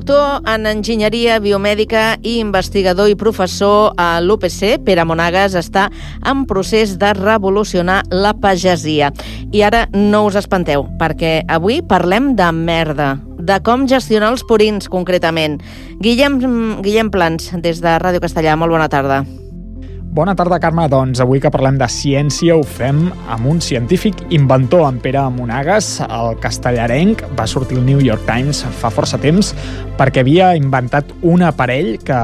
doctor en enginyeria biomèdica i investigador i professor a l'UPC, Pere Monagas, està en procés de revolucionar la pagesia. I ara no us espanteu, perquè avui parlem de merda, de com gestionar els purins, concretament. Guillem Plans, des de Ràdio Castellà. Molt bona tarda. Bona tarda, Carme. Doncs avui que parlem de ciència ho fem amb un científic inventor, en Pere Monagas. El castellarenc va sortir al New York Times fa força temps perquè havia inventat un aparell que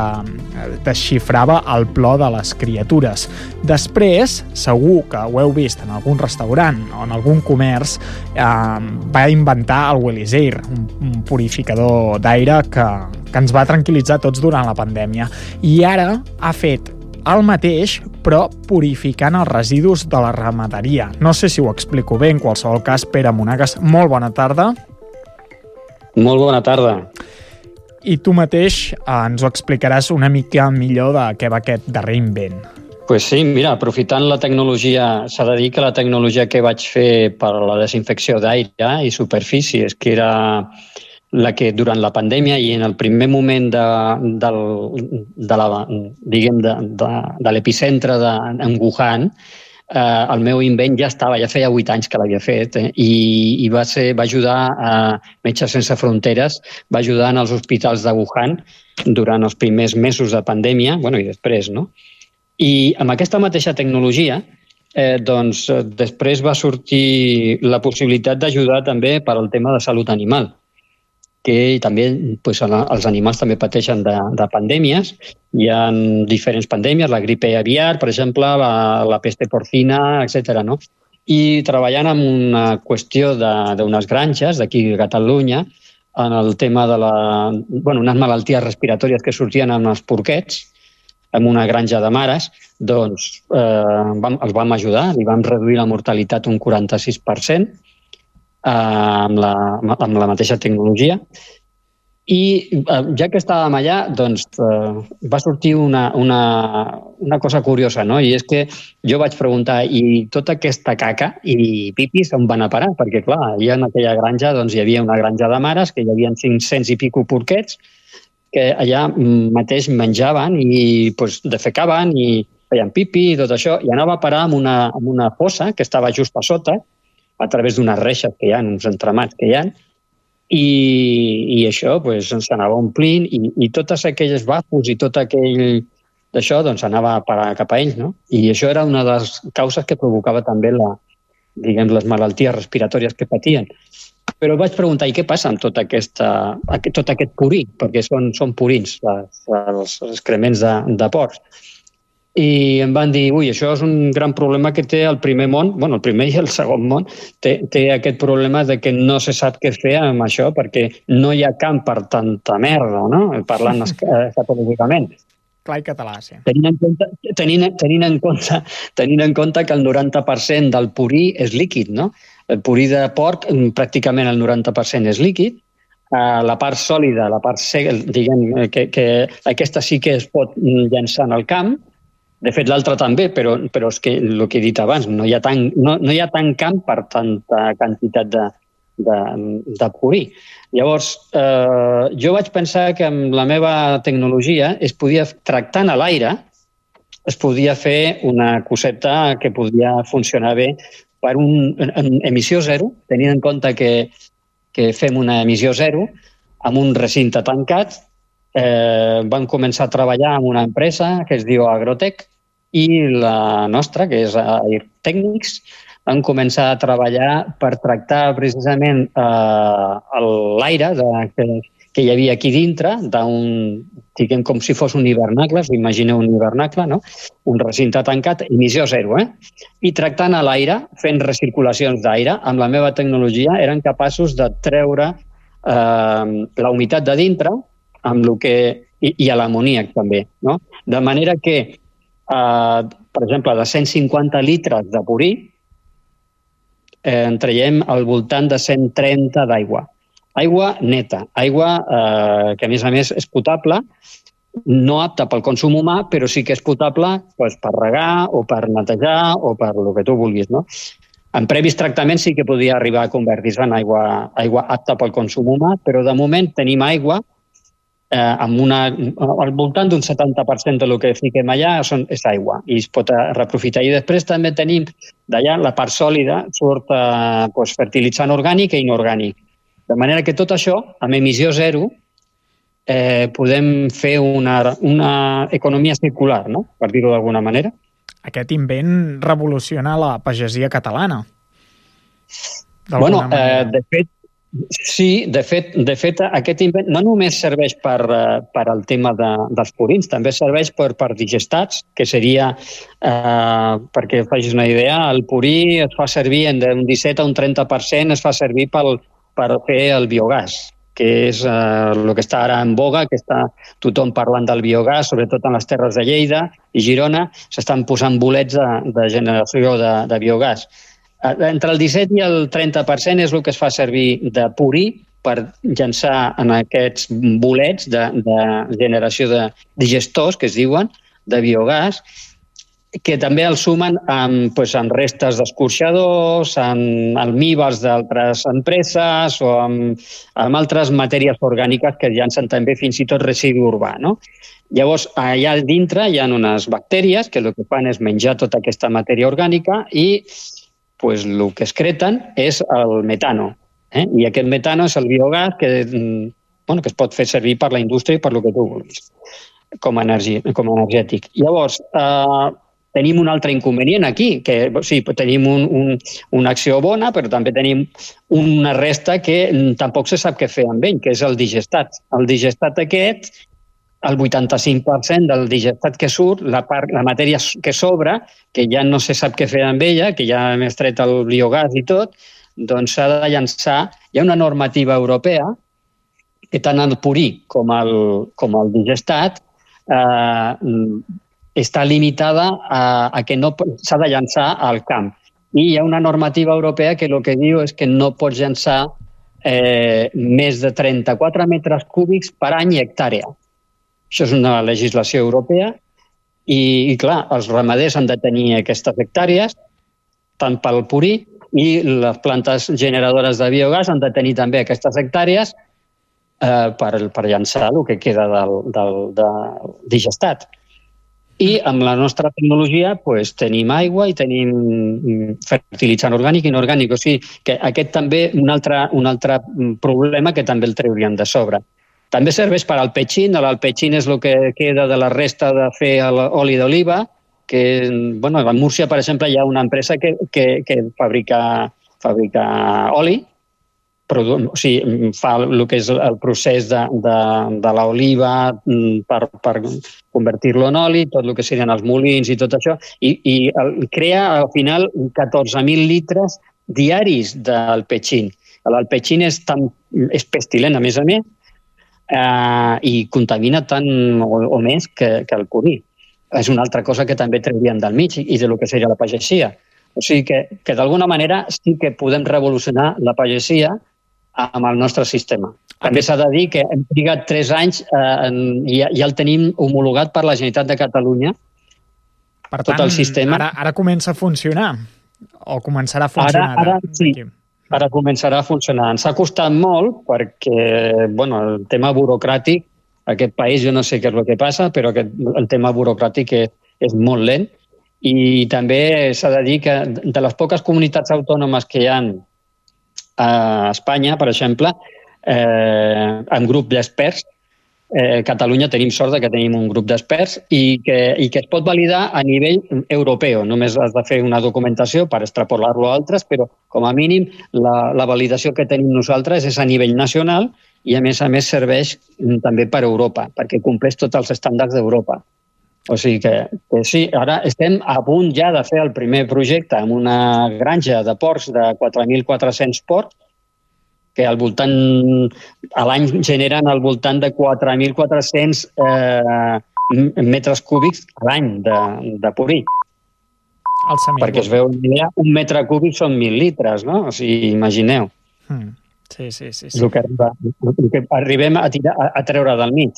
desxifrava el plor de les criatures. Després, segur que ho heu vist en algun restaurant o en algun comerç, va inventar el Wellsair, un purificador d'aire que ens va tranquil·litzar tots durant la pandèmia. I ara ha fet el mateix, però purificant els residus de la ramaderia. No sé si ho explico bé, en qualsevol cas, Pere Monagas, molt bona tarda. Molt bona tarda. I tu mateix ens ho explicaràs una mica millor de què va aquest darrer invent. Pues sí, mira, aprofitant la tecnologia, s'ha de dir que la tecnologia que vaig fer per la desinfecció d'aire i superfícies, que era la que durant la pandèmia i en el primer moment de l'epicentre en Wuhan, el meu invent ja feia 8 anys que l'havia fet, i va ajudar a Metges Sense Fronteres, va ajudar en els hospitals de Wuhan durant els primers mesos de pandèmia, i després, no? I amb aquesta mateixa tecnologia, doncs després va sortir la possibilitat d'ajudar també per al tema de salut animal, que també els animals també pateixen de pandèmies. Hi ha diferents pandèmies, la gripe aviar, per exemple, la peste porcina, etc. No? I treballant en una qüestió d'unes granges d'aquí a Catalunya, en el tema de unes malalties respiratòries que sortien amb els porquets, en una granja de mares, doncs els vam ajudar, li vam reduir la mortalitat un 46%, amb la mateixa tecnologia. I ja que estàvem allà, doncs va sortir una cosa curiosa, no? I és que jo vaig preguntar, i tota aquesta caca i pipis on van a parar? Perquè, clar, allà en aquella granja doncs, hi havia una granja de mares, que hi havia 500 i pico porquets, que allà mateix menjaven i defecaven i feien pipi i tot això, i anava a parar amb una fossa que estava just a sota, a través d'unes reixes que hi ha, uns entramats que hi ha, i això s'anava omplint i totes aquelles bafos i tot aquell d'això anava a parar cap a ells, no? I això era una de les causes que provocava també les malalties respiratòries que patien. Però vaig preguntar, i què passa amb tot aquest purí? Perquè són purins, els excrements de porcs. I em van dir, això és un gran problema que té el primer món, el primer i el segon món, té aquest problema de que no se sap què fer amb això perquè no hi ha camp per tanta merda, no? Parlant escatològicament. Clar i català, sí. Tenint en compte que el 90% del purí és líquid, no? El purí de porc, pràcticament el 90% és líquid. La part sòlida, la part seca, diguem que aquesta sí que es pot llançar en el camp. De fet, l'altre també, però és que el que he dit abans, no hi ha tant camp per tanta quantitat de purí. Llavors, jo vaig pensar que amb la meva tecnologia es podia, tractant a l'aire, es podia fer una coseta que podia funcionar bé per una emissió zero, tenint en compte que fem una emissió zero amb un recinte tancat. Vam començar a treballar amb una empresa que es diu Agrotec i la nostra, que és Air Technics, vam començar a treballar per tractar precisament l'aire que hi havia aquí dintre, diguem com si fos un hivernacle, us imagineu un hivernacle, no? Un recinte tancat, emissió zero, I tractant a l'aire, fent recirculacions d'aire, amb la meva tecnologia eren capaços de treure la humitat de dintre, i a l'amoníac també, no? De manera que, per exemple, de 150 litres de purí, en traiem al voltant de 130 d'aigua. Aigua neta, aigua que a més és potable, no apta pel consum humà, però sí que és potable per regar o per netejar o per el que tu vulguis, no? En previs tractaments sí que podia arribar a convertir-se en aigua apta pel consum humà, però de moment tenim aigua al voltant d'un 70% del que fiquem allà és aigua i es pot reaprofitar. I després també tenim d'allà la part sòlida, surt fertilitzant orgànic i inorgànic. De manera que tot això, amb emissió zero, podem fer una economia circular, no? Per dir-ho d'alguna manera. Aquest invent revoluciona la pagesia catalana. Bueno, de fet, sí, de fet, aquest invent no només serveix per al tema dels purins, també serveix per digestats, que seria, perquè facis una idea, el purí es fa servir d'un 17 a un 30%, es fa servir per fer el biogàs, que és el que està ara en boga, que està tothom parlant del biogàs, sobretot en les terres de Lleida i Girona, s'estan posant bolets de generació de biogàs. Entre el 17 i el 30% és el que es fa servir de purí per llançar en aquests bolets de generació de digestors, que es diuen, de biogàs, que també el sumen amb restes d'escorxadors, amb almíbars d'altres empreses o amb altres matèries orgàniques que llancen també fins i tot residu urbà, no? Llavors, allà dintre hi ha unes bactèries que el que fan és menjar tota aquesta matèria orgànica i el que excreten és el metano. I aquest metano és el biogàs que es pot fer servir per la indústria i per el que tu vulguis, com a energètic. Llavors, tenim un altre inconvenient aquí, que sí, tenim una acció bona, però també tenim una resta que tampoc se sap què fer amb ell, que és el digestat. El digestat aquest, el 85% del digestat que surt, la matèria que sobra, que ja no se sap què fer amb ella, que ja hem extret el biogàs i tot, doncs s'ha de llançar. Hi ha una normativa europea que tant el purí com el digestat està limitada a que no s'ha de llançar al camp. I hi ha una normativa europea que el que diu és que no pots llançar més de 34 metres cúbics per any i hectàrea. Això és una legislació europea i, clar, els ramaders han de tenir aquestes hectàrees, tant pel purí, i les plantes generadores de biogàs han de tenir també aquestes hectàrees per llançar el que queda del digestat. I amb la nostra tecnologia tenim aigua i tenim fertilitzant orgànic i inorgànic. O sigui que aquest també un altre problema que també el trauríem de sobre. També serveix per al petxín. L'alpetxín és el que queda de la resta de fer oli d'oliva, que a Múrcia, per exemple, hi ha una empresa que fabrica oli, o sigui, fa el que és el procés de l'oliva per convertir-lo en oli, tot el que serien els molins i tot això, i crea al final 14.000 litres diaris d'alpetxín. L'alpetxín és pestilent, a més, i contamina tant o més que el purí. És una altra cosa que també trauríem del mig i del que seria la pagesia. O sigui que d'alguna manera sí que podem revolucionar la pagesia amb el nostre sistema. També s'ha de dir que hem trigat 3 anys i ja el tenim homologat per la Generalitat de Catalunya. Per tant, tot el sistema. Ara comença a funcionar o començarà a funcionar? Ara sí. Ara començarà a funcionar. Ens ha costat molt perquè el tema burocràtic, aquest país, jo no sé què és el que passa, però el tema burocràtic és molt lent. I també s'ha de dir que de les poques comunitats autònomes que hi ha a Espanya, per exemple, en grup d'experts, Catalunya tenim sort que tenim un grup d'experts i que es pot validar a nivell europeu. Només has de fer una documentació per extrapolar-lo a altres, però com a mínim la validació que tenim nosaltres és a nivell nacional i a més serveix també per Europa, perquè compleix tots els estàndards d'Europa. O sigui que sí, ara estem a punt ja de fer el primer projecte amb una granja de porcs de 4.400 porcs, que a l'any generen al voltant de 4.400 metres cúbics a l'any de purí. Perquè es veu una idea, un metre cúbic són 1.000 litres, no? O sigui, imagineu. Sí. El que arribem a treure del mig.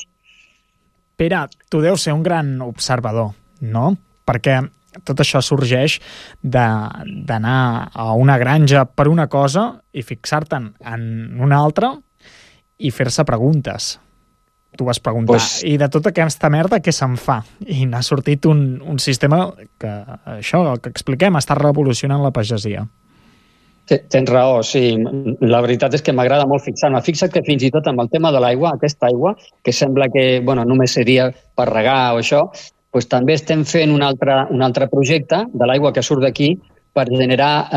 Pere, tu deus ser un gran observador, no? Perquè tot això sorgeix d'anar a una granja per una cosa i fixar-te'n en una altra i fer-se preguntes. tu vas preguntar, i de tota aquesta merda què se'n fa? I n'ha sortit un sistema que, això, el que expliquem, està revolucionant la pagesia. Tens raó, sí. La veritat és que m'agrada molt fixar-me. Fixa't que fins i tot amb el tema de l'aigua, aquesta aigua, que sembla que només seria per regar o això, doncs també estem fent un altre projecte de l'aigua que surt d'aquí per generar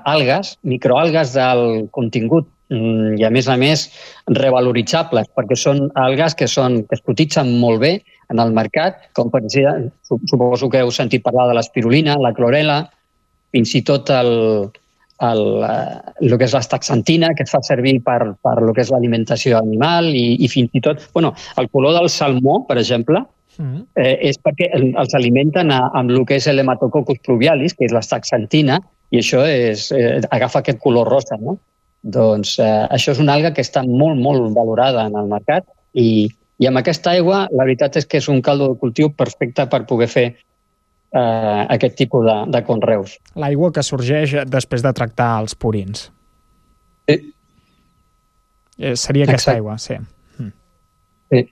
algues, microalgues del contingut i, a més, revaloritzables, perquè són algues que es cotitzen molt bé en el mercat, com per exemple, suposo que heu sentit parlar de l'espirulina, la clorela, fins i tot el que és l'astaxantina, que es fa servir per el que és l'alimentació animal i fins i tot... el color del salmó, per exemple, és perquè els alimenten amb el que és l'Hematococcus pluvialis, que és l'astaxantina, i això agafa aquest color rosa, no? Doncs això és una alga que està molt, molt valorada en el mercat i amb aquesta aigua la veritat és que és un caldo de cultiu perfecte per poder fer aquest tipus de conreus. L'aigua que sorgeix després de tractar els purins. Sí. Seria aquesta aigua, sí. Sí.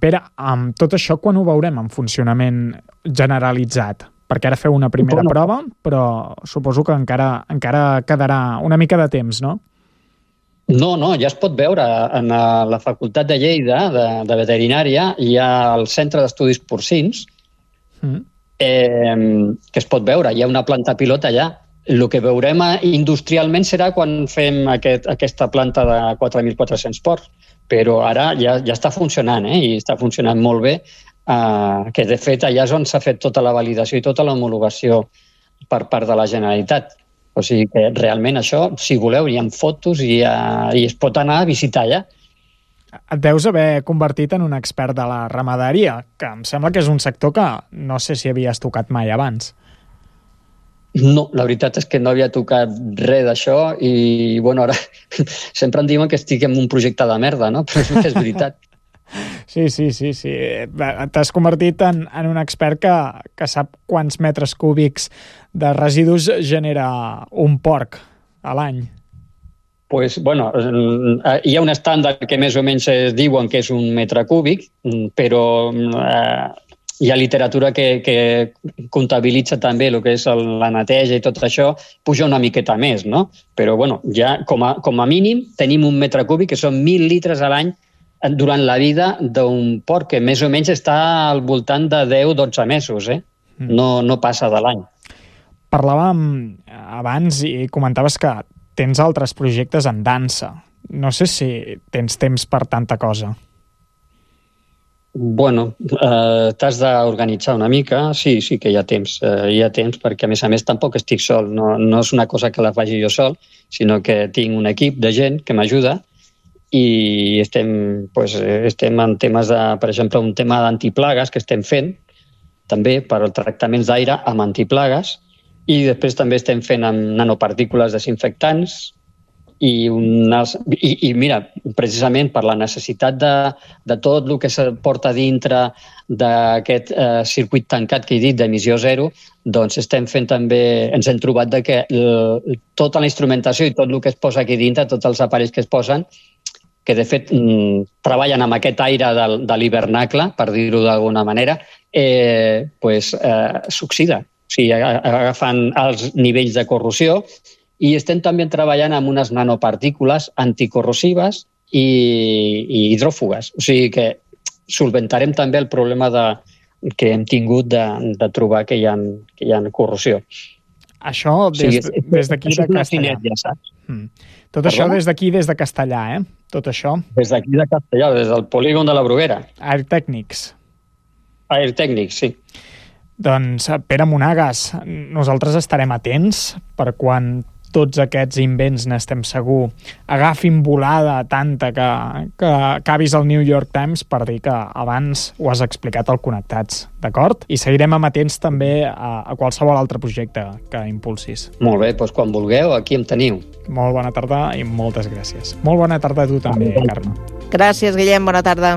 Pere, amb tot això, quan ho veurem en funcionament generalitzat? Perquè ara feu una primera prova, però suposo que encara quedarà una mica de temps, no? No, ja es pot veure. En la Facultat de Lleida, de Veterinària, hi ha el Centre d'Estudis Porcins, que es pot veure. Hi ha una planta pilot allà. El que veurem industrialment serà quan fem aquesta planta de 4.400 porcs, però ara ja està funcionant, i està funcionant molt bé, que de fet allà és on s'ha fet tota la validació i tota l'homologació per part de la Generalitat. O sigui que realment això, si voleu, hi ha fotos i es pot anar a visitar allà. Et deus haver convertit en un expert de la ramaderia, que em sembla que és un sector que no sé si havies tocat mai abans. No, la veritat és que no havia tocat res d'això i, ara sempre em diuen que estic en un projecte de merda, no? Però és veritat. Sí. T'has convertit en un expert que sap quants metres cúbics de residus genera un porc a l'any. Pues, hi ha un estàndard que més o menys es diuen que és 1 metre cúbic, però hi ha literatura que comptabilitza també el que és la neteja i tot això, puja una miqueta més, no? Però, ja com a mínim tenim 1 metre cúbic, que són 1.000 litres a l'any durant la vida d'un porc, que més o menys està al voltant de 10-12 mesos, No passa de l'any. Parlàvem abans i comentaves que tens altres projectes en dansa. No sé si tens temps per tanta cosa. T'has d'organitzar una mica. Sí que hi ha temps. Hi ha temps perquè, a més, tampoc estic sol. No és una cosa que la faci jo sol, sinó que tinc un equip de gent que m'ajuda i estem en temes per exemple, un tema d'antiplagues que estem fent, també per als tractaments d'aire amb antiplagues, i després també estem fent amb nanopartícules desinfectants i mira, precisament per la necessitat de tot el que se porta dintre d'aquest circuit tancat que he dit d'emissió zero, doncs estem fent també, ens hem trobat que tota la instrumentació i tot el que es posa aquí dintre, tots els aparells que es posen, que de fet treballen amb aquest aire de l'hivernacle, per dir-ho d'alguna manera, s'oxida. O sigui, agafen els nivells de corrosió i estem també treballant amb unes nanopartícules anticorrosives i hidròfugues. O sigui que solventarem també el problema que hem tingut de trobar que hi ha corrosió. Això des d'aquí de Castellà. Tot això des d'aquí, des de Castellà, Tot això. Des d'aquí de Castellà, des del polígon de la Bruguera. Airtècnics, sí. Doncs, Pere Monagas, nosaltres estarem atents per quan tots aquests invents, n'estem segur, agafin volada tanta que acabis al New York Times, per dir que abans ho has explicat al Connectats, d'acord? I seguirem amatents també a qualsevol altre projecte que impulsis. Molt bé, doncs quan vulgueu, aquí em teniu. Molt bona tarda i moltes gràcies. Molt bona tarda a tu també, Carme. Gràcies, Guillem, bona tarda.